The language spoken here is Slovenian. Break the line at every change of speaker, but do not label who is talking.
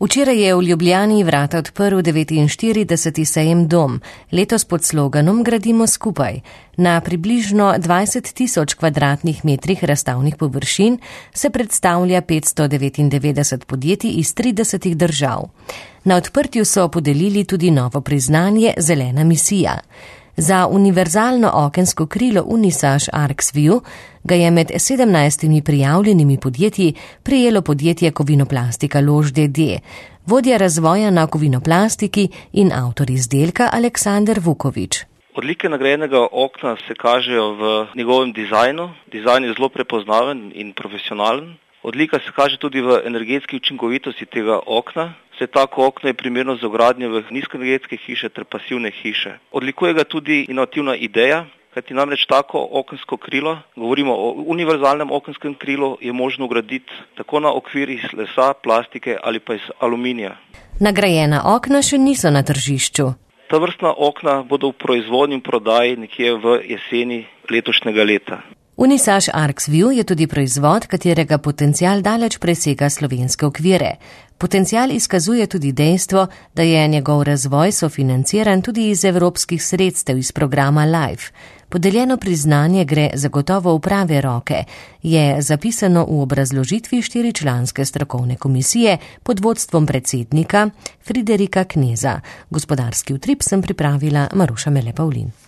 Včeraj je v Ljubljani vrata odprl 49. sejem Dom, letos pod sloganom Gradimo skupaj. Na približno 20.000 kvadratnih metrih razstavnih površin se predstavlja 599 podjetij iz 30 držav. Na odprtju so podelili tudi novo priznanje Zelena misija. Za univerzalno okensko krilo Unisaž Arxview ga je med 17 prijavljenimi podjetji prejelo podjetje Kovinoplastika Lož d.d., vodja razvoja na kovinoplastiki in avtor izdelka Aleksander Vukovič.
Odlike nagrajenega okna se kažejo v njegovem dizajnu. Dizajn je zelo prepoznaven in profesionalen. Odlika se kaže tudi v energetski učinkovitosti tega okna. Vse tako okno je primerno za vgradnjo v nizkoenergetske hiše ter pasivne hiše. Odlikuje ga tudi inovativna ideja, kajti namreč tako okensko krilo, govorimo o univerzalnem okenskem krilu, je možno vgraditi tako na okvir iz lesa, plastike ali pa iz aluminija.
Nagrajena okna še niso na tržišču.
Ta vrstna okna bodo v proizvodnji in prodaji nekje v jeseni letošnjega leta.
Unisaž Arxview je tudi proizvod, katerega potencial daleč presega slovenske okvire. Potencial izkazuje tudi dejstvo, da je njegov razvoj sofinanciran tudi iz evropskih sredstev iz programa LIFE. Podeljeno priznanje gre zagotovo v prave roke, je zapisano v obrazložitvi 4-članske strokovne komisije pod vodstvom predsednika Friderika Kneza. Gospodarski utrip sem pripravila Maruša Mele Pavlin.